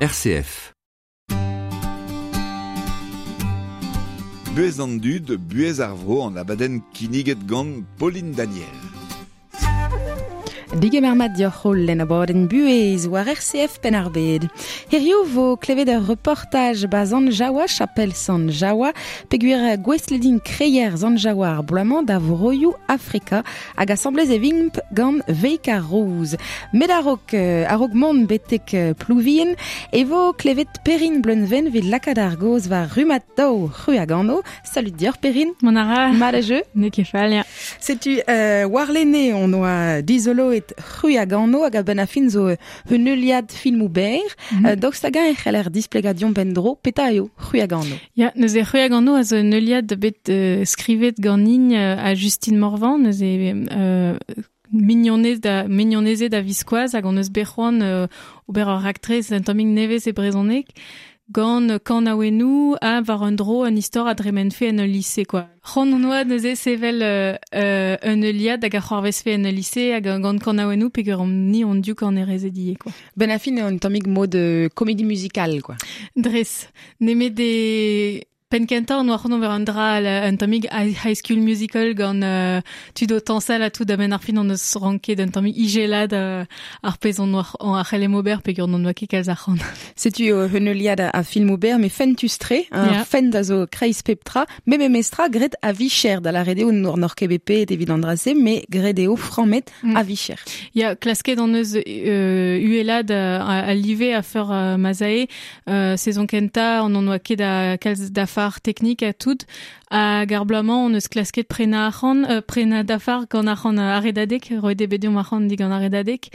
RCF. Buhez an dud, buhez ar vro an abadenn kinniget gant Pauline Daniel. Digemer mat dioc'h holl en abadenn buhez war RCF Penn-ar-Bed. Hiziv vo klevet ur reportaj ba Sant Jaoua, chapel Sant Jaoua, peogwir gouestlet int kreier Sant Jaoua ar bloaz-mañ da vroioù Afrika hag asambles e vimp gant Veik ar Rouz. Met a-raok a-raok mont betek Plouvien e vo klevet Perrine Bleunven evit lakaat ar gaoz war rummad daou C'hruagano. Salut deoc'h Perrine. Mont a ra. Mat a jeu. N'eo ket fall, ya. Setu warlene on oa dizoloet C'hruagano hag a-benn ar fin zo un heuliad filmoù berr. Mm -hmm. Daoust hag-eñ e c'heller displegañ deomp en-dro petra eo C'hruagano? Ya, neuze C'hruagano a zo un heuliad bet skrivet ganin ha Justine Morvan, neuze mignonez da mignonezed a-viskoazh hag hon eus bet c'hoant ober ur raktres un tammig nevez e brezhoneg gant kanaouennoù ha war un dro un istor a dremenfe en ul lise quoi. C'hoant hon oa neuze sevel un heuliad hag a c'hoarvezfe en ul lise hag gant kanaouennoù peogwir omp ni hon div kanerezed ivez quoi. Ben a fin eo un tammig mod comédie musicale quoi. Dres, nemet e Penn-kentañ on oa c'hoant ober un dra un tammig High School Musical gant tud o tañsal ha tout a-benn ar fin on eus ranket un tammig ijelat ar pezh on oa a c'hellemp ober peogwir n'on oa ket kalz arc'hant. Setu un heuliad a filmoù berr met fentus-tre, un fent a zo kreiz pep tra, met memestra graet a-vicher da lâret eo n'oc'h ket bet paeet evit an dra-se, met graet eo frammet a-vicher. Ya, klasket hon eus uhelad al live a-feur ma'z ae. Sezon kentañ on oa ket a kalz dafar teknik ha tout hag ar bloaz-mañ on eus klasket prenañ arc'hant prenañ dafar gant arc'hant ar Redadeg roet eo bet deomp arc'hant digant ar Redadeg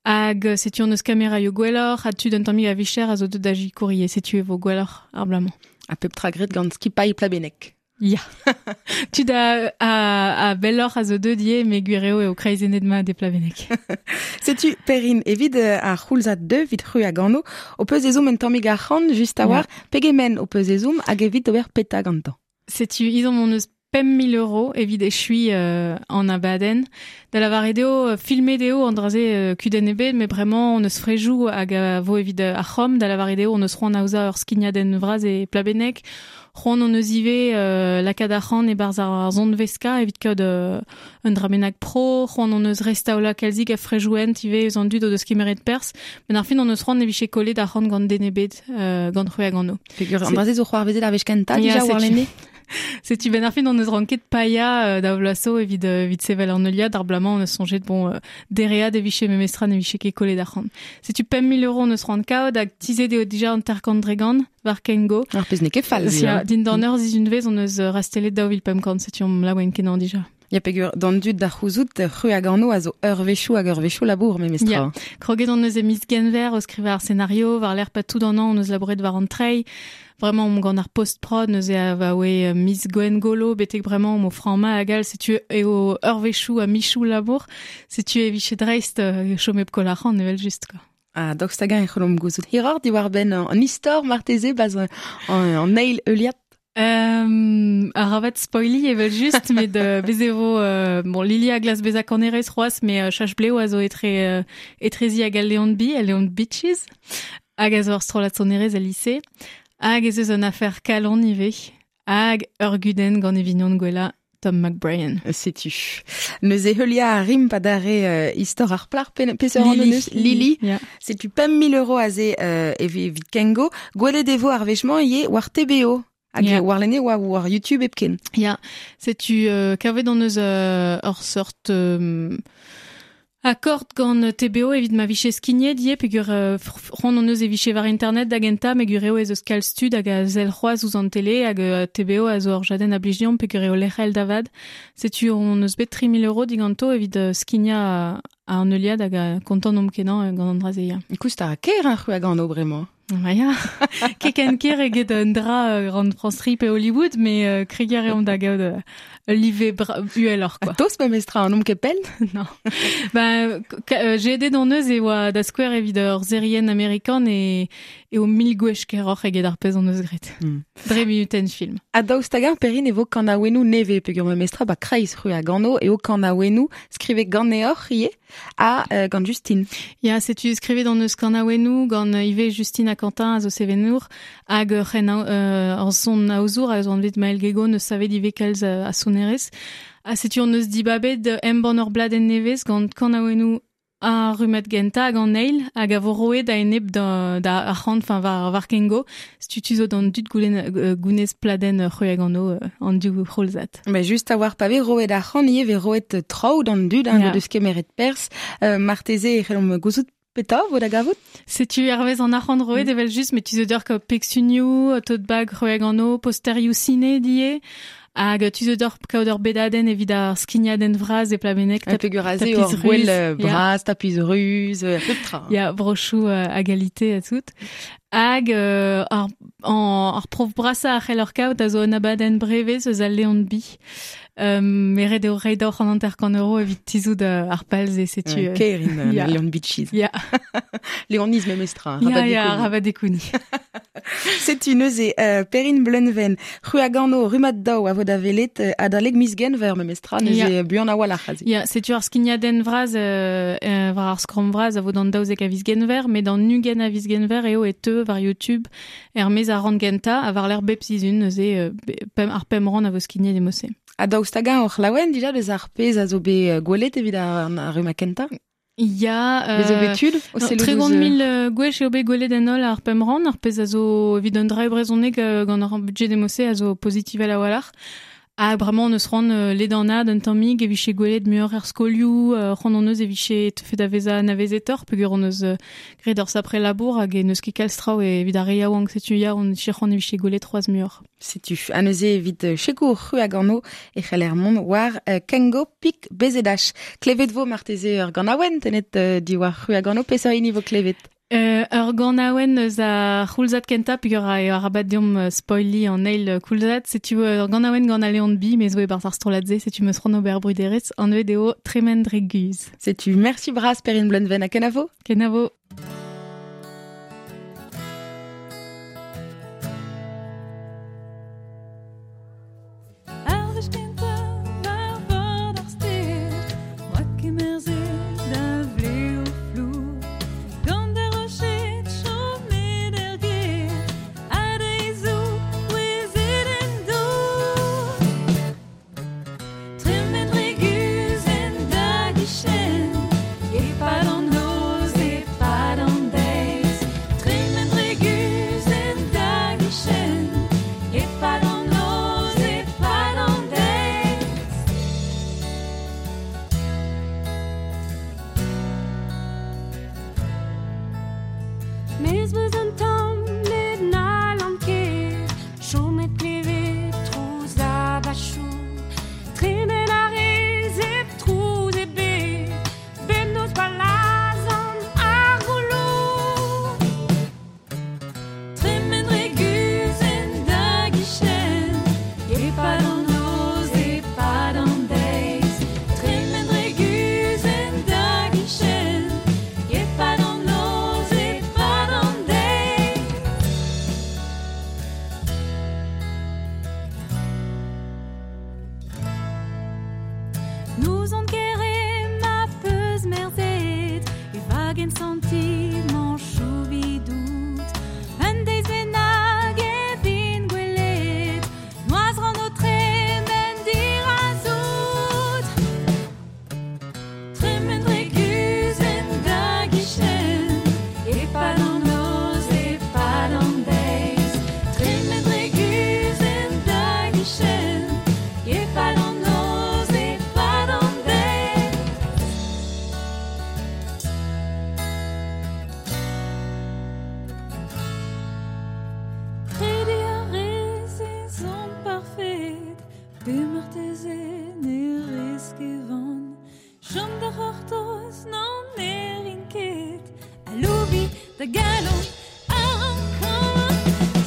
hag setu on eus kameraioù gwelloc'h ha tud un tammig a-vicher a zo deuet da sikour ivez setu e vo gwelloc'h ar bloaz-mañ. Ha pep tra graet gant skipailh Plabenneg. Ya. Tud a, a, a belloc'h a zo deuet ivez, met gwir eo eo kreizennet mat e Plabenneg. Setu, Perrine, evit ar c'houlzad deu, evit c'hwi hag anv, ho peus ezhomm un tammig arc'hant, just a-walc'h, yeah. pegement ho peus ezhomm hag evit ober petra gantañ? Setu, ezhomm hon eus 5 000 euros evit echuiñ an abadenn. Da lavaret eo, filmet eo an dra-se kudenn ebet, met bremañ hon eus frejoù hag a vo evit ar c'hom. Da lavaret eo, hon eus c'hoant aozañ ur skignadenn vras e Plabenneg. C'hoant hon eus ivez lakaat arc'hant e-barzh ar sonveskañ evit kaout un dra bennak pro. C'hoant hon eus restaolañ kalzik a frejoù-hent ivez eus an dud o deus kemeret perzh. Met ar fin hon eus c'hoant ne vije kollet arc'hant gant den ebet gant c'hweh hag anv. Peogwir an dra-se zo c'hoarvezet ar wech kentañ dija warlene? Setu ben ar fin hon eus ranket paeañ da vloaz zo evit evit sevel an heuliad. Ar bloaz-mañ hon eus soñjet bon dereat e vije memestra ne vije ket kollet arc'hant. Setu 5 000 euros hon eus c'hoant kaout hag tizhet eo dija 50 dre gant war Kengo. Ar pezh n'eo ket fall. Ya, dindan ur sizhunvezh hon eus rastellet 2500, setu omp laouen kenañ dija. Ya, peogwir d'an dud da c'houzout, c'hwi hag anv a zo eurvezhioù hag eurvezhioù labour memestra. Ya, kroget hon eus e miz Genver o skrivañ ar senario, war-lerc'h pa tout an hañv hon eus labouret war an treiñ. Vraiment omp gant ar post-prod neuze abaoe miz Gwengolo betek bremañ omp o frammañ hag all, setu eo eurvezhioù ha michoù labour. Setu e vije dreist chom hep koll arc'hant evel-just, quoi. Ha daoust hag-eñ e c'hellomp gouzout hiroc'h diwar-benn an istor marteze ba'z an eil heuliad? Arabat spoiliñ evel-just, met bez e vo bon, Lili a glask bezañ kanerez c'hoazh, met Chach Bleo a zo etre etrezi hag al Leon B, al Leon Beaches, hag a zo ur strollad sonerezh el lise. Hag ez eus un afer kalon ivez, hag ur gudenn gant e vignon gwellañ Tom McBrien. Setu. Neuze heuliañ a rimp adarre istor ar plac'h peseurt anv neus Lili. Yeah. Setu 5 000 euros aze evit Kengo. Gwelet e vo ar wech-mañ ivez war TBO. Hag yeah. warlene oa war YouTube hepken. Ya, setu kavet hon eus ur seurt akord gant TBO evit ma vije skignet ivez peogwir c'hoant hon eus e vije war internet da gentañ met gwir eo ez eus kalz tud hag a sell c'hoazh ouzh an tele hag TBO a zo ur jadenn a blij deomp peogwir eo lec'hel da vat. Setu hon eus bet 3 000 euros diganto evit skignañ an heuliad hag kontant omp kenañ gant an dra-se, ya. Koust a ra ker ar c'hwi hag anv bremañ. Ma ya, ket ken ker eget un dra gant France 3 pe Hollywood, met kregiñ a reomp da gaout ul live uheloc'h, quoi. Tost memestra, an omp ket pell? Non. Ben, jedet hon eus e oa da skouer evit ur serien amerikan e eo mil gwech keroc'h eget ar pezh hon eus graet. Dre minutenn film. Ha daoust hag-eñ Perrine e vo kanaouennoù nevez peogwir memestra ba kreiz c'hwi hag anv eo kanaouennoù skrivet ganeoc'h ivez ha gant Justine. Ya, setu skrivet hon eus kanaouennoù gant ivez Justine. ha Quentin a zo sevenour hag ur son aozour a zo anvet Maël Guégo neus savet ivez kalz a sonerez. Ha setu on eus dibabet embann ur bladenn nevez gant kanaouennoù ar rummad genta hag an eil hag a vo roet da enep da arc'hant, enfin war Kengo. Setu tu zo d'an dud gounez pladenn c'hwek an o an div c'houlzad. Mais just a war pa vez roet arc'hant ivez vez roet traoù d'an dud hein, deus kemeret pers marteze e c'hellomp gouzout peta vo da gavout? Setu hervez an arc'hant roet evel just, mais tu zo d'ur ka peksunioù, tote bag c'hwek an o, posterioù ciné die. Hag tu zo d'ur kaout ur bedadenn evit ar skignadenn vras e Plabennec. Peogwir eo ur gwell bras, tapiz ruz, pep tra. Ya, brochoù a galite ha tout. Hag ar prof brasa a c'hell ur kaout a zo un abadenn brevez eus al Leon Bi. Meret eo reiñ d'oc'h an 50 € evit tizout ar palze, setu... Kerin, yeah. Leon Beaches. Ya. Leoniz memestra. Ya, rabat dekouni. Setu neuze Perynn Bleunven, c'hwi a gano rummad daou a vo da welet adalek miz Genver memestra, neuze buan a-walc'h aze. Ya, setu ar skignadenn vras war ar skramm vras a vo d'an 12 a viz Genver, met d'an 20 a viz Genver eo e teu war YouTube er mez ar ran genta a war l'er bep sizhun neuze ar pemp ran a vo skignet e mose. Ha daoust hag-eñ oc'h laouen dija deus ar pezh a zo bet gwelet evit ar rummad kentañ? Ya, Bez zo bet tud o sellout ouzh... 30 000 gwech eo bet gwelet en holl ar pemp ran, ar pezh a zo evit un dra e brezhoneg gant ar budget demose a zo pozitivel a-walc'h. Ha bremañ on eus c'hoant ledannaat un tammig e vije gwelet muioc'h er skolioù, c'hoant on eus e vije teufe da vezañ anavezetoc'h peogwir on eus graet ur sapre labour hag e n'eus ket kalz traoù evit ar re yaouank setu ya on vije c'hoant e vije gwelet c'hoazh muioc'h. Setu ha neuze evit sekour c'hwi a gano e c'heller mont war Kengo pik BZH. Klevet vo marteze ur ganaouenn tennet diwar c'hwi a gano peseurt hini vo klevet? Ur ganaouenn eus ar c'houlzad kentañ peogwir eo arabat deomp spoiliñ an eil koulzad. Setu ur ganaouenn gant al Leon Bi, me zo e-barzh ar strollad-se, setu meus c'hoant ober bruderezh, anvet eo Tremen dre guzh. Setu merci bras Perynn Bleunven ha kenavo? Kenavo. Ar wech kentañ war bord ar stêr, 'moa kemerzet da vlev flour. Gant ar roched chomet er gêr, ha deizoù kouezhet en dour. Tremen dre guzh en da gichen, e-pad an noz, e-pad an deiz. Tremen dre guzh en da gichen, e-pad an noz, e-pad an deiz. Mez meus un tamm met n'hallan ket chomet klevet trouz da bachoù. Tremen a rez hep trouz ebet, bemnoz pa lazhan ar gouloù. Tremen dre guzh en da gichen, e-pad an noz, e-pad an deiz. Tremen dre guzh en da gichen, e-pad an noz, e-pad an deiz. N'ouzon ket re ma peus merzet, e vagen santimanchoù vidout. Un deiz bennak e vin gwelet, noazh ran o tremen dirazout. Tremen dre guzh en da gichen, e-pad an noz, e-pad an deiz. Tremen dre guzh en da gichen, e-pad an noz, e-pad an deiz. Krediñ a rez ez on parfet, pe marteze ne rez ket van. Chom da c'hortoz n'an erin ket, aloubiñ da galon a rankan.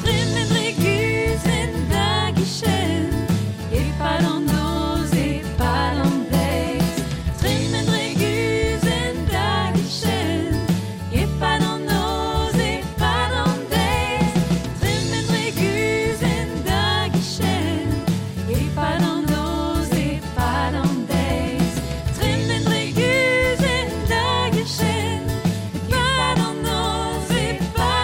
Tremen dre guzh en da gichen, e-pad an noz, e-pad an deiz. Tremen dre guzh en da gichen, e-pad an noz, e-pad an deiz. Tremen dre guzh en da gichen, e-pad an noz, e-pad an deiz. Tremen dre guzh en da gichen, e-pad an noz, e-pad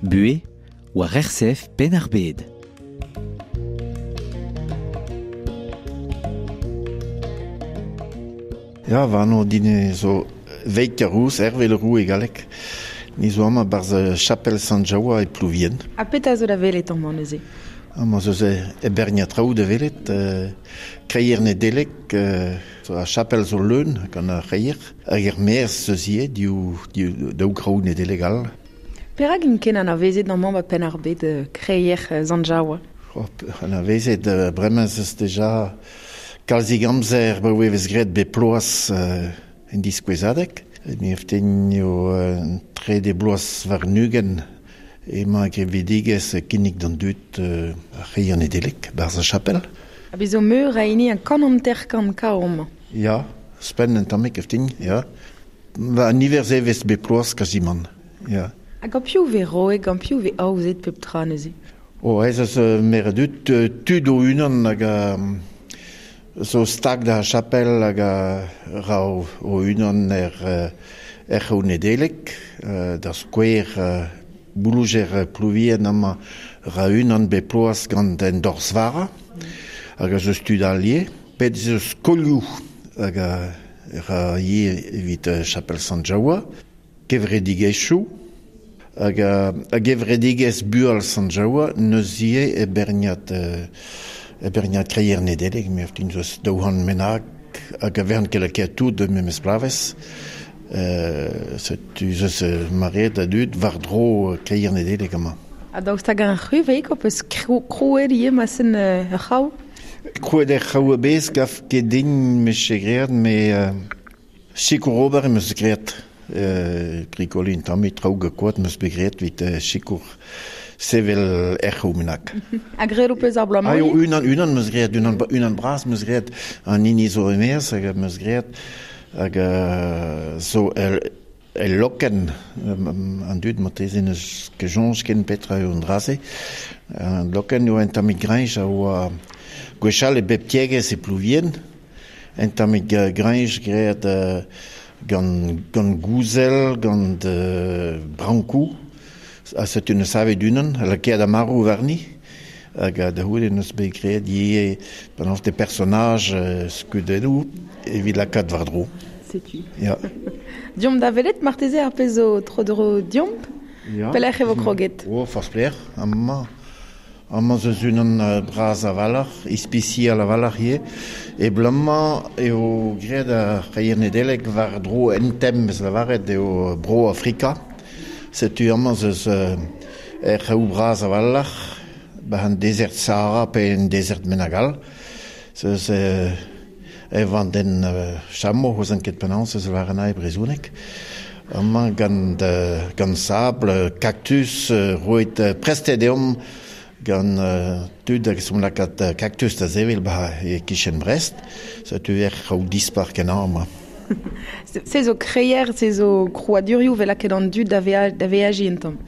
Buhe war RCF Penn-ar-Bed. Ya, va anv din zo Veik ar Rouz, Hervé Le Roux e galleg. Ni zo amañ barzh chapel Sant-Jaoua e Plouvien. Ha petra zo da welet amañ neuze? Amañ zo e berniad traoù da welet. Kreier Nedeleg, ar chapel zo leun gant ar c'hreier. Hag er maez eus ivez, div, daou graoù Nedeleg all. Perak int ken anavezet amañ ba Penn-ar-Bed kreier Sant-Jaoua? Anavezet, bremañ ez eus deja kalzik amzer ba e vez graet bep bloaz en diskouezadeg. Me eften eo trede bloaz war-ugent emañ gevredigezh kinnig d'an dud ar c'hreier Nedeleg barzh ar chapel. Ha bez zo meur a hini an kant hanter-kant kav amañ. Ya, ouzhpenn un tammig eften, ya. Ba niver se vez bep bloaz kazimant, ya. Ha gant piv vez roet, gant piv vez aozet pep tra neuze? O, ez eus meur a dud, tud o-unan hag a zo stag da chapel hag a ra o-unan er er c'hraou Nedeleg, da skouer bouloujer Plouvien amañ ra unan bep bloaz gant en dorzh-vara, hag a zeus tud all ivez. Bet ez eus skolioù hag a ra ivez evit chapel Sant-Jaoua, kevredigezhioù, hag a gevredigezh Bual Sant-Jaoua n'eus ivez e berniad e berniad kreier Nedeleg, me din zeus daou c'hant bennak hag a vern ket lakaet tout memes bloavezh. Setu zeus maread a dud war-dro kreier Nedeleg amañ. Ha daoust hag an c'hwi veik ho peus krouet ivez ma sen ur c'hraou? Krouet er c'hraou a-bezh gav ket din 'meus ket graet, met sikour ober em eus graet. Brikoliñ un tammig traoù gant koad 'm eus bet graet evit sikour sevel er c'hraou bennak. Ha graet ho peus ar bloaz-mañ? Ah, unan, unan 'm eus graet, unan, unan bras 'm eus graet, an hini zo e-maez hag 'm eus graet hag zo el, el lokenn, an dud marteze n'eus ket soñj ken petra eo an dra-se. An lokenn eo un tammig grañj a oa gwechall e bep tiegezh e Plouvien, un tammig grañj graet gant, gant gouzel, gant brankoù, ha setu neus savet unan, lakaet amaroù warni, hag da c'houde neus bet graet ivez penaos des personnages skeudennoù evit lakaat war-dro. Setu. Ya. Diomp da welet marteze ar pezh zo tro-dro diomp? Ya. Pelec'h e vo kroget? O, forzh pelec'h, amañ. Amañ zeus unan bras a-walc'h, ispisial a-walc'h ivez. E bloaz-mañ eo graet ar c'hreier Nedeleg war-dro en tem eus lavaret eo bro Afrika. Setu amañ zeus er c'hraou bras a-walc'h, ba an dezert Sahara pe en dezert bennak all. Zeus e vandenn chameau, ouzon ket penaos eus war an brezhoneg. Amañ gant, gant sabl, kaktus, roet prestet deomp gant tud hag som lakaat kaktus da sevel ba e kichen Brest. Setu er c'hraou dispar kenañ amañ. Se zo kreier, se zo krouadurioù vel lakaet an dud da veajiñ un tamm.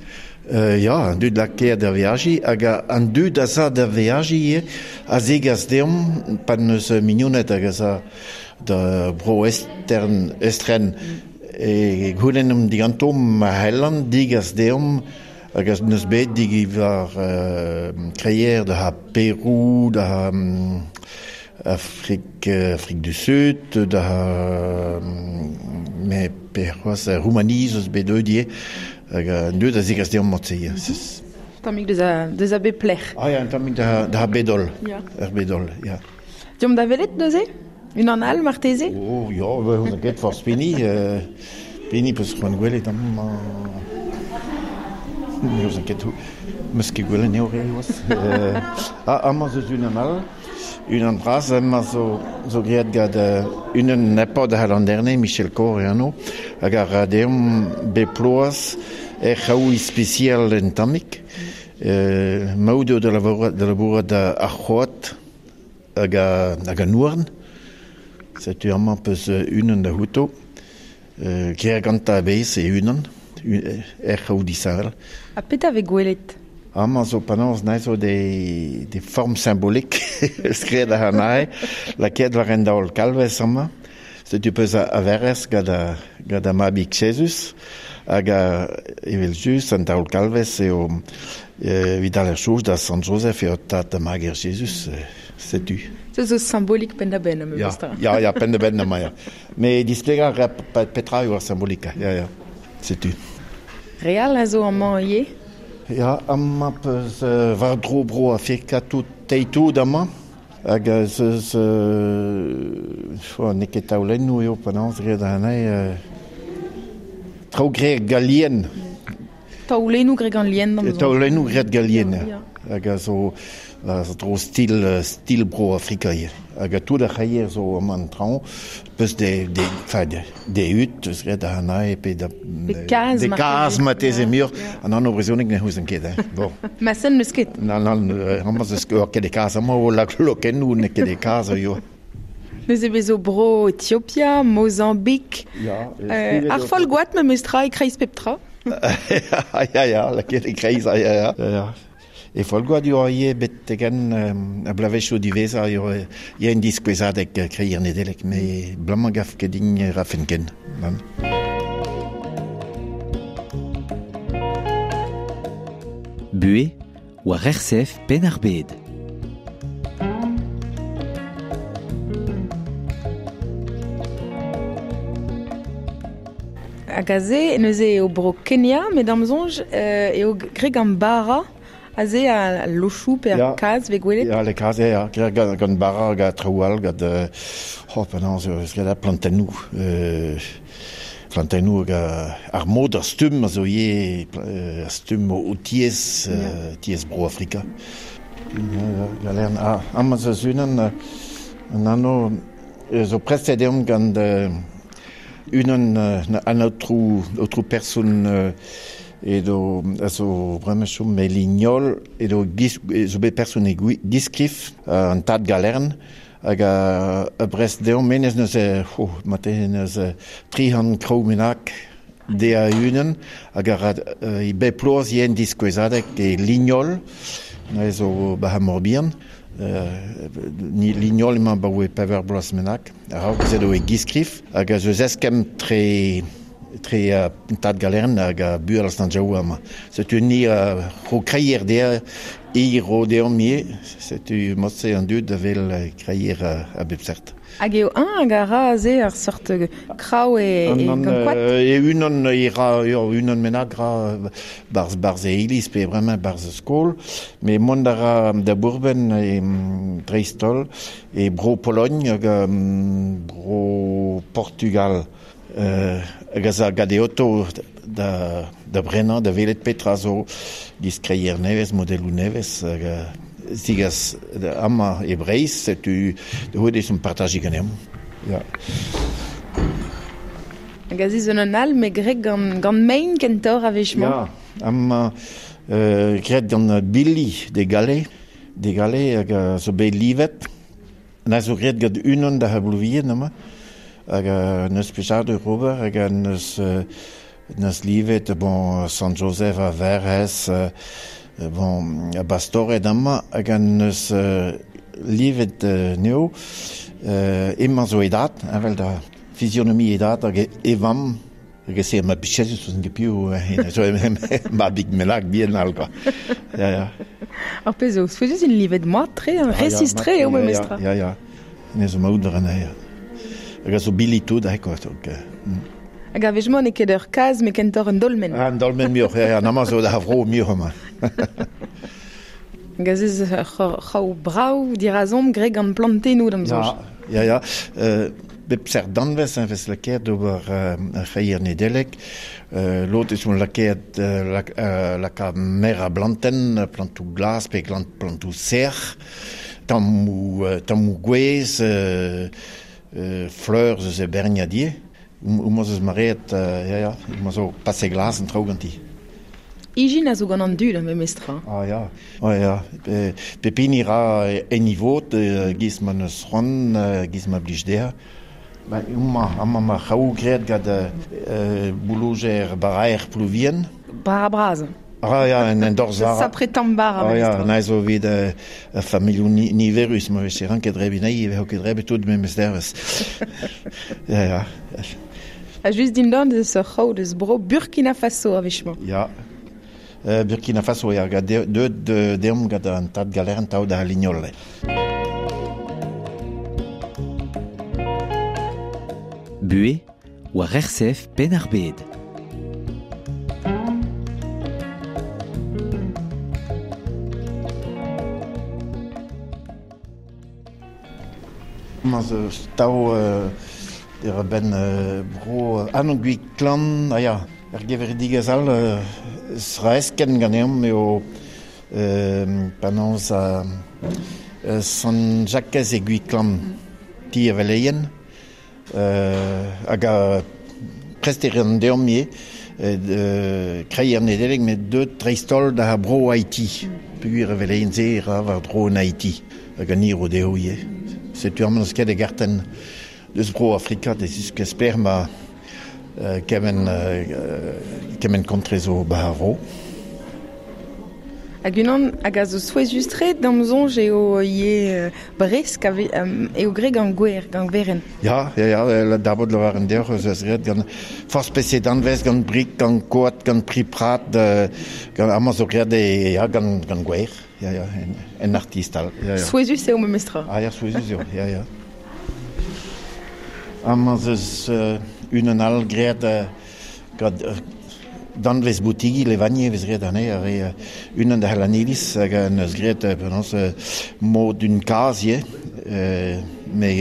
Ya, an dud lakaet da veajiñ, hag an dud a za da veajiñ ivez a zegas deomp, pa n'eus mignoned hag a za da bro estern, estren, e goulennomp diganto ma c'hellan digas deomp hag a n'eus bet digi war kreier da Perou, da Afrique, Afrique du Sud, da me pe c'hoazh Roumanie eus bet deuet ivez, hag an dud a zegas deomp mod-se. Tammig deus a bep lec'h. Ah ya, un tammig da, da bedol, Ya. er bedol, ya. Diomp da welet neuze? Unan all marteze? Oh, ya, ba, on ket forzh pini, pini peus c'hoant gwelet amañ. Ne ouzon ket meus ket gwelet eo re c'hoazh. Ah, amañ zeus unan all, unan bras, amañ zo, zo graet gant unan nepad a Landerne, Michel Kor e anv, hag a ra deomp bep bloaz er c'hraou ispisial en tammig. Maout eo da labourat ar c'hoad hag a, hag an houarn. Setu amañ peus unan da c'houto. Graet gantañ a-bezh e unan, er c'hraou disheñvel. Ha petra vez gwelet? Amañ zo penaos nae zo des formes symboliques skriet ar nae, lakaet war en daol kalvez amañ. Setu peus a verrez gant a, gant ar mabig Jesus, hag evel just an taol kalvez eo evit al ar da Sant Joseph eo tad da mager Jesus, setu. Se zo symbolik pen da ben, am ja, ja, ja, pen da ben ama, ja. Me displega ra petra eo ar symbolika, ja, ja, setu. Real a zo amañ ivez? Ja, amañ peus war dro bro Afrika tout teitout amañ. Hag zeus n'eo ket taolennoù eo penaos graet anezhe traoù graet galien. Taolennoù graet gant lien d'am. Taolennoù graet galien. Hag a zo dro stil, stil bro Afrika ivez. Hag a tout ar c'haier zo amañ an traoñ, peus de, de, enfin, de, de ut, eus graet anezhe pe da... De kaz, de kaz marteze muioc'h. An anv brezhoneg ne c'houzen ket, hein. Bon. Ma sen n'eus ket. Nan, nan, amañ eus ket de kaz, amañ o lokennoù n'eo ket de kaz eo. Neuze bezo bro Ethiopia, Mozambique, Ja, ar Folgoad memes tra e kreiz pep tra. Ja, ja, lakaet e kreiz, ja, ja, ja. E Folgoad eo ivez betegen a blavezhioù diwezhañ eo eo en diskouezadeg kreier Nedeleg, me blamañ gaf ket din rafen ken. Nan. Buhe war RCF Penn-ar-Bed. Hag aze, neuze eo bro Kenya, met d'am soñj eo graet gant bara, aze a lochoù pe ar kaz vez gwelet. Ya, le kaz, ya, graet gant bara hag traoù all, gant oh, penaos eus graet ar plantennoù. Plantennoù hag ar mod ar stumm a zo ivez, ar stumm o tiez, tiez bro Afrika. Galern, ah, amañ zo unan, an anv zo prestet deomp gant unan an aotrou, aotrou person edo a zo bremañ chom e Lignol, edo gis, zo bet person e Giskrif, an tad Galern, hag a brest deomp menez neuze, oh, marteze neuze tri c'hant kraou bennak de a unan, hag a ra e bep ploaz yen diskouezadeg e Lignol, neuze zo ba Morbihan, ni Lignol emañ ba oe pevar bloaz bennak, a-raok ez edo e Giskrif, hag a zeus eskemm tre tad Galern hag a bual an jaou amañ. Setu ni ro kreier dezhañ, i ro deomp ivez, setu mod-se an dud a vel kreier a bep seurt. Hag eo un hag a ra aze ar seurt kraou e gant koad? E unan e ra, eo, unan bennak ra barz, barz e iliz pe bremañ barz skol, met mont a ra da bourben e dreist-holl e bro Pologne hag bro Portugal. Hag a za gant e oto da, da brenañ, da welet petra zo giz kreier nevez, modeloù nevez, hag zigas amañ e Breizh, setu da c'houde eus partajiñ ganeomp. Ja. Hag aze zo un all, met graet gant, gant mein kentoc'h a-wech-mañ. Ja, amañ graet gant Billy de Gale, de Gale hag a zo bet livet. Na zo graet gant unan da Blouvien amañ, hag neus plijadur ober, hag neus, neus livet, bon, Sant Joseph a Verhez, bon, a bastored amañ, hag neus livet neo, emañ zo e dad, evel da physionomie e dad, hag e vamm, hag e se ma bichezus eus an gepiou, zo ma big melak bien all, quoi. Ja, ja. Ar pezh zo, souezhus int livet mat-tre, resis-tre eo memes tra. Ja, ja. Ne zo maout an anezhañ. Hag a zo billy tout, hein, quoi. Donc, Hag a-wech-mañ n'eo ket ur kaz, met kentoc'h un dolmen. Ah, un dolmen muioc'h, ja, ja, amañ zo da vro muioc'h amañ. Hag aze zo ur c'hraou brav dirazomp graet gant plantennoù d'am soñj. Ja, ja, ja. Bep seurt danvez a vez lakaet d'ober ar c'hreier Nedeleg. Lod eus on lakaet laka mer a blantenn, plantoù glas pe plantoù sec'h, tammoù, tammoù gwez, fleur eus e berniad ivez. Homañ eus mareet, ja, ja, homañ zo pase glas an traoù ganti. Ijin a zo gant an dud, memes tra. Ah ja, ah ja. Pep hini ra en e vod, giz ma neus c'hoant, giz ma blij dezhañ. Ba, homañ, amañ ma c'haou graet gant boulojer baraer Plouvien. Bara bras. Ah ja, en dorzh vara. Sapre tamm bara. Ah ja, na zo evit ur familhoù niverus, ma veze ranket drebiñ anezhi, e vezo ket drebet tout memes dervezh. Ja, ja. A just din dan deus ur c'hraou deus bro Burkina Faso a wech-mañ. Ya. Burkina Faso, ya, gant deut deomp gant an tad galeren tao da Lignol. Buhe, war RCF Penn-ar-Bed. Ma zo tao er ben bro an gwiklan, ah ya, er gevredigezh all sraesken ganeomp eo penaos Sant Jakez e Gwiklan ti a veleien hag a prest e ran deomp ivez kreiñ an Nedeleg met deut dreist-holl da bro Haiti. Peogwir a veleien se e ra war-dro en Haiti hag an hir o dezho ivez. Setu amañ n'eus ket e gartenn deus bro Afrika da ziskouez pelec'h ma kement kement kontre zo ba ar vro. Hag unan hag a zo souezhus-tre d'am soñj eo ivez bresk a eo graet gant gwer, gant werenn. Ya, ya, ya, dabot lavaren deoc'h eus eus graet gant forzh peseurt danvez, gant brik, gant koad, gant pri-prat, gant amañ zo graet e, ya, gant, gant gwer, ya, ya, en, en artist all. Ya, ya. Souezhus eo memestra. Ah ya, souezhus eo, ya, ya. Amañ 'z eus unan all graet gant danvez boutigi Levanier e vez graet anezhe ar re unan da C'hlaniliz hag en deus graet penaos mod un kazh ivez met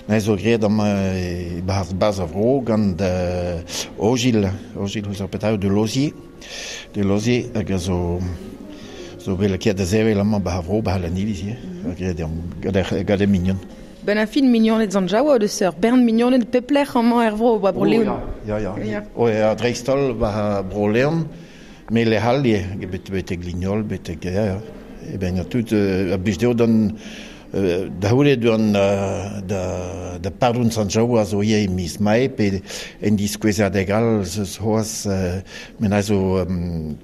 neuze zo graet amañ e-barzh bas ar vro gant Ogil, Ogil ouzh ar petra eo de Lozier, de Lozier hag a zo zo bet lakaet da sevel amañ 'ba ar vro 'ba C'hlaniliz ivez, ha graet eo gant e mignon. Ben ar fin mignoned Sant-Jaoua o deus ur bern mignoned pep lec'h amañ er vro, ba Bro-Leon. Ya, ya. Ya. Oh, ya, dreist-holl ba Bro-Leon, met lec'h all ivez, betek Lignol, betek... Ya, ya. E ben tout a blij dezho d'an da c'houde d'an da, da pardon Sant-Jaoua zo ivez e miz Mae, pe en diskouezadeg all zeus c'hoazh men a zo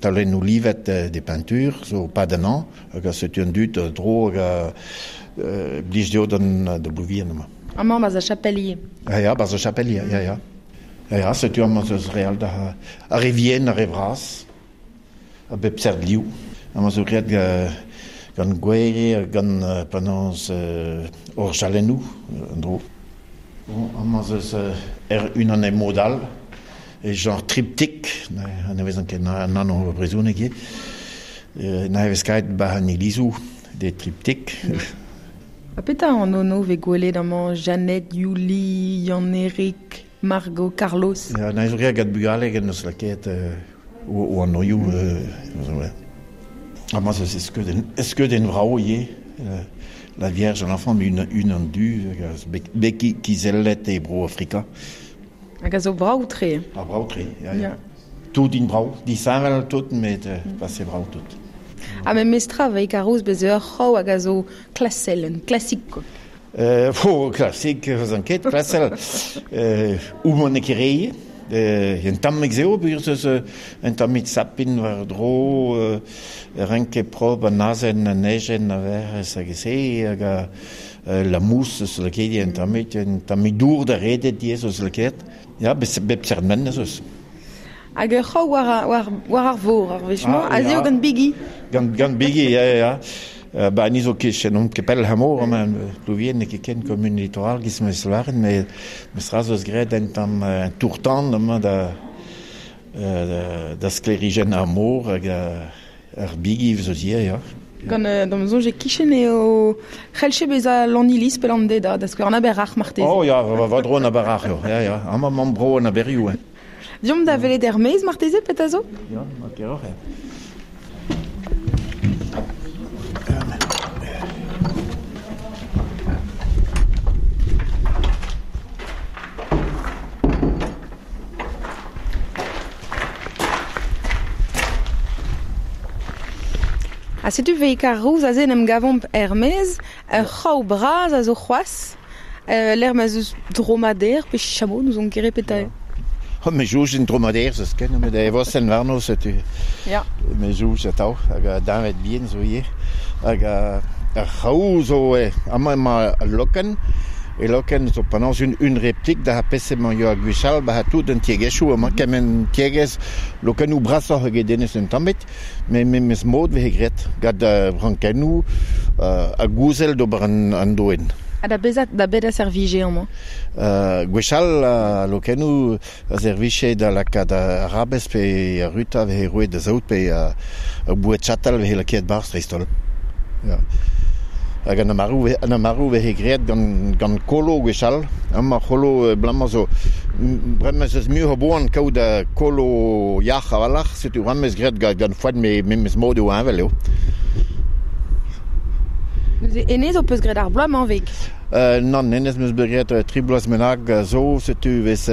taolennoù livet de peinture, zo pad an hañv, hag a setu an dud dro hag a blij dezho d'an da Blouvien amañ. Amañ 'barzh ar chapel ivez. Ah ya, 'barzh ar chapel ivez, ya, ya. Ya, ya, setu amañ eus re all da ar re vihan, ar re vras, a bep seurt liv. Amañ zo graet gant gwer, gant penaos orjalennoù, an dro. Bon, amañ eus er unan e mod all, e genre triptyque, ne vezan ket an anv brezhoneg ivez. Na vez kaet 'ba an ilizoù des triptyques. Ha petra an anv vez gwelet amañ Jeannette, Yuli, Yann-Erik, Margot, Carlos? Ya, na zo graet gant bugale gant eus lakaet o anvioù. Amañ eus skeudenn vrav ivez. La Vierge à l'enfant, unan du, bet kizellet e bro Afrika. Hag a zo brav-tre. Ah, brav-tre, ya, ya. Tout int brav, disheñvel tout, met pase brav tout. Ha memestra veik ar roz bez ur c'hraou hag a zo klasel, un klasik quoi. Oh, klasik, eus an ket, klasel. Ouman e ket un tamm eo, peogwir eus un tammig sapin war-dro, renk prop an azen, an ejen a verc'hez hag e se, hag a la mousse eus lakaet un tammig dour da redet diez eus lakaet. Ya, bep seurt men eus. Hag ur c'hraou war ar vor, ar wech-mañ, Ah, aze eo ya. gant bigi. Gant bigi, ya, ya, ya. Ba, ni zo ket, n'omp ket pell hamor, amañ, Plouvien n'eo ket ken kommun littoral, giz meus lavaret, met meus ra zo eus graet un tamm un tour-tan amañ da, da sklêrijenn ar mor hag ar bigi zo ivez, ya. Gant d'am soñj e kichen eo c'hellche bezañ Lannilis pe Landeda, da skouer an Aber-Ac'h marteze. Oh ya, va dro an Aber-Ac'h eo, ya, ya. Amañ mamm bro an Aberioù, hein. Deomp da welet er-maez marteze, petra zo? Ya, ma keroc'h, ya. Ha setu veik ar rouz aze en em gavomp er-maez, ur c'hraou bras a zo c'hoazh, lec'h ma 'z eus dromader pe chameau, n'ouzon ket re petra eo. Oh, me jouj un dromader zo ken, met e vosenn warno setu. Ya. Me jouj atav, hag a deñved bihan zo ivez. Hag ar c'hraou zo amañ emañ al lokenn, E loken zo penaos un replik da pese man yo a gwechall ba tout un tiegezhioù amañ kement tiegezh lokennoù brasoc'h eget denez un tammit, me memes mod vehe graet gant brankennoù a gouzel d'ober an doen. Ha da bezat da bet a servije amañ? Gwechall lokennoù a servije da lakaat arabez pe a ruta vehe roet da zaout pe a boued chatal vehe lakaet barzh dreist-holl. Ya. Hag an amarou vehe graet gant kolo gwechall. Amañ c'holo blamañ zo bremañ eus muioc'h a boan kaout kolo yac'h a-walc'h, setu bremañ eus graet gant foenn memes mod eo heñvel eo. Neuze enez ho peus graet ar bloaz-mañ vek? Nann, enez 'm eus bet graet tri bloaz bennak zo, setu vez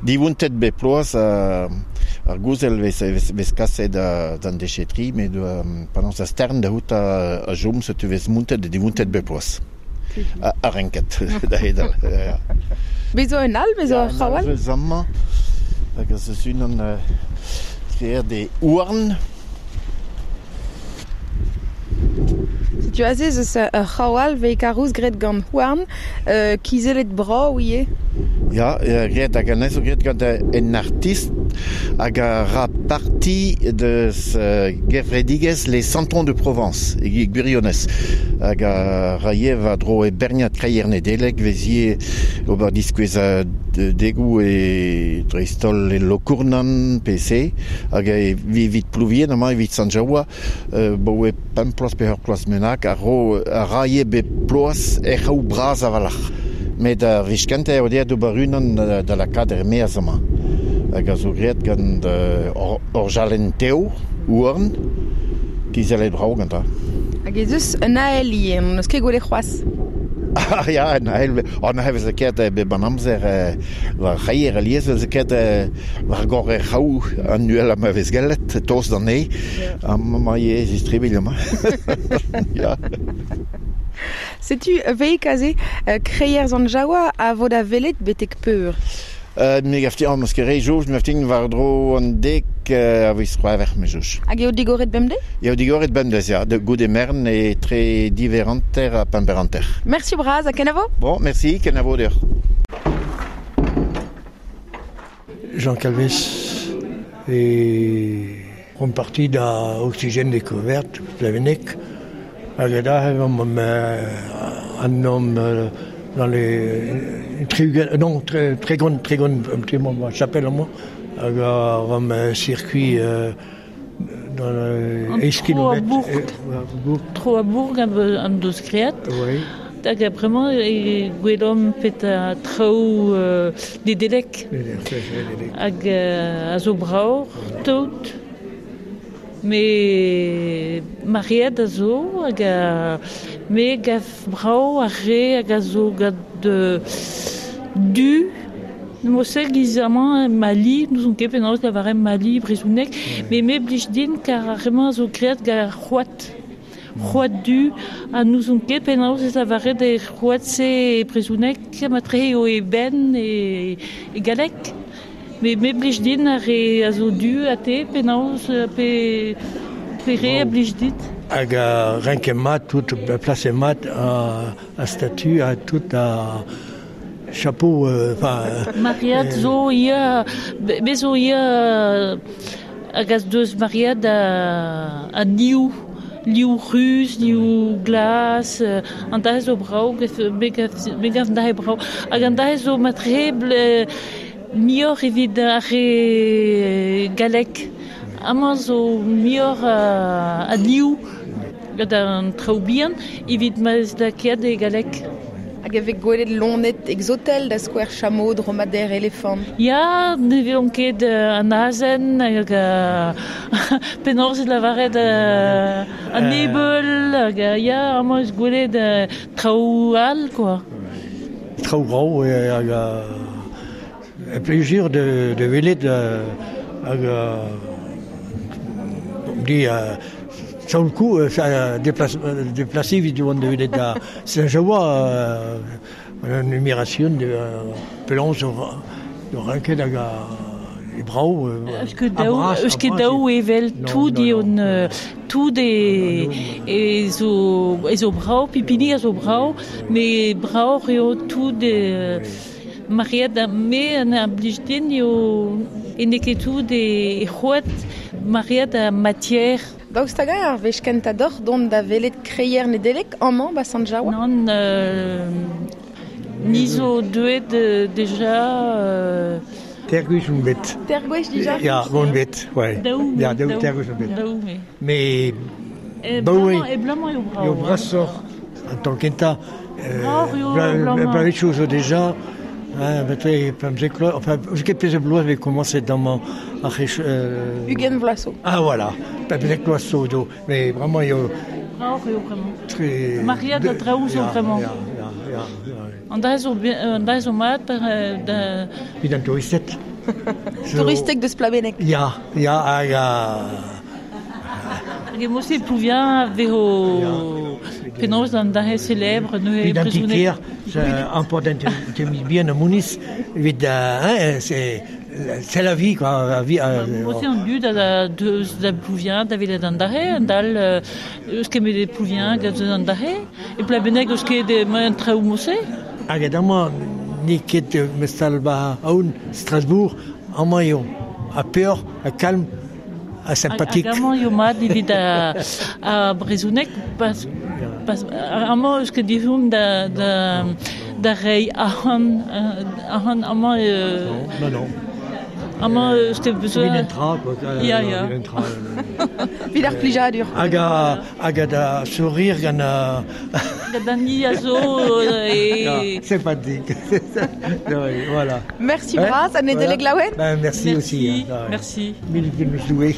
divontet bep ploaz ar gouzel vez kaset d'an déchetri, met penaos a stern da c'hout a chom, setu vez montet divontet bep ploaz. A renket da hedal. Bez zo un all, bez zo ur c'hraou all? Bez amañ, hag ez eus unan graet e houarn. Setu aze ez eus ur c'hraou all vez karouz graet gant houarn, kizellet brav ivez. Ya, graet hag anezho graet gant un artist hag a ra parti deus gevredigezh Les Santons de Provence, e gwirionez. Hag a ra ivez war-dro e berniad kreier Nedeleg vez ivez ober diskouez degoù e dreist-holl e Lokournan PC hag evit Plouvien amañ evit Sant-Jaoua boe pemp ploaz pe ur ploaz bennak a ro a ra ivez bep ploaz er c'hraou bras a-walc'h. Met ar wech kentañ eo dezhañ d'ober unan da lakaat er-maez amañ. Hag a zo graet gant orjalenn tev, houarn, kizellet brav gantañ. Hag ez eus un ael ivez, n'on eus ket gwelet c'hoazh. Ah ya, un ael, an ael vez lakaet bep an amzer war c'hreier alies vez lakaet war gorre c'hraou an uhelañ ma vez gellet, tost d'an nez. Amañ ivez istribilh amañ. Ya. Setu veik aze kreier Sant-Jaoua a vo da welet betek peur. Me gav din, meus ket re soñj, me gav din war-dro an dek a viz C'hwevrer, me soñj. Hag eo digoret bemdez? Eo digoret bemdez, ya, goude merenn etre div eur hanter ha pemp eur hanter. Merci bras ha kenavo? Bon, merci, kenavo deoc'h. Jean Calvez et on parti da Oxygène Découverte, Plavenec. Hag da an homme dans les non très grande très grande un petit moment chapelle moi hag ar circuit dans le kilomètres Tro a bourg an deus graet. Oui. Hag bremañ e gwelomp pet a traoù Nedelec. Hag a zo brav tout. Me mariad a zo hag me gav brav ar re hag a zo gant du. Mo-se giz amañ Mali, n'ouzon ket penaos lavaret Mali brezhoneg, met me blij din kar ar re-mañ a zo graet gant ar c'hoad. C'hoad du, ha n'ouzon ket penaos ez lavaret er c'hoad-se e brezhoneg, matre eo e benn e galleg. Me blij din ar re a zo du ha te penaos pe re a blij dit? Hag a renket mat, tout placet mat a statue, a tout a chapeau. Enfin, Mariad zo ia, be zo ia hag az deus Mariad a niou. Liou ruz, liou glas, an dahe zo brav, me gav an dahe brav. Hag an dahe zo matre muioc'h evit ar re galleg. Amañ zo muioc'h a liou gant an traoù bihan evit ma ez lakaet e galleg. Hag e vez gwelet loened exotel da skouer chameau, dromadaire, elefant. Ya, ne vezont ket an azen hag penaos ez lavaret an ebeul hag ya, amañ eus gwelet traoù all quoi. Traoù brav hag plaisir de welet hag di sur le coup, ça déplacé evit oan da welet da Saint-Jaoua an numération de penaos o renket hag a e brao. Eus ket daou, eus ket daou evel tout e on tout e e zo brao, pipini a zo brao, me brao eo tout e Mariad a me an a blij din eo e n'eo ket tout e c'hoat Mariad a matière. Daoust hag ar wech kentañ doc'h dont da welet kreier Nedeleg amañ ba Sant-Jaoua? Nann, ni zo deuet deja... Ter gwech on bet. Ter gwech dija? Ya, on bet, ouais. Daou, ya, daou, ter gwech on bet. Daou, me. Mais... E blamañ eo brao. Eo brasoc'h an taol kentañ. Blavezhioù zo deja. Hein, enfin, ket pezh bloaz vez komañset damañ ar Ugent vloaz zo. Ah voilà, pemzek bloaz zo do, mais vraiment eo... Brao eo vraiment. Très... Maria da traoù zo vraiment. Ya, ya, ya, ya. An da zo an da zo mat par da... Evit an touristed. Touristek deus Plabenneg. Ya, ya, hag a... Hag emo-se Plouvien vezo penaos an dahe célèbre neuze Evit an ti-kêr, important te bien a Mounis, evit hein, c'est la vie quoi, la vie. Mo-se an dud a deus da Plouvien da velet an dahe, an dal eus ket met Plouvien gant deus an dahe, e Plabenneg eus ket an traoù mo-se. Hag amañ n'eo ket mestal ba aoun Strasbourg, amañ eo, a peoc'h, a kalm, a sympathique. Hag amañ eo mat evit a brezhoneg, pas amañ eus ket dizhoum da da reiñ ahan amañ... Non, non. Amañ eus ket besoin... Evit an tra, quoi. Ya, ya. Evit ar plijadur. Hag a da sourire gant a... Gant an ni a zo e... Sympathique. Voilà. Merci bras, an Nedeleg laouen. Ben, merci aussi. Merci. Mil Doue.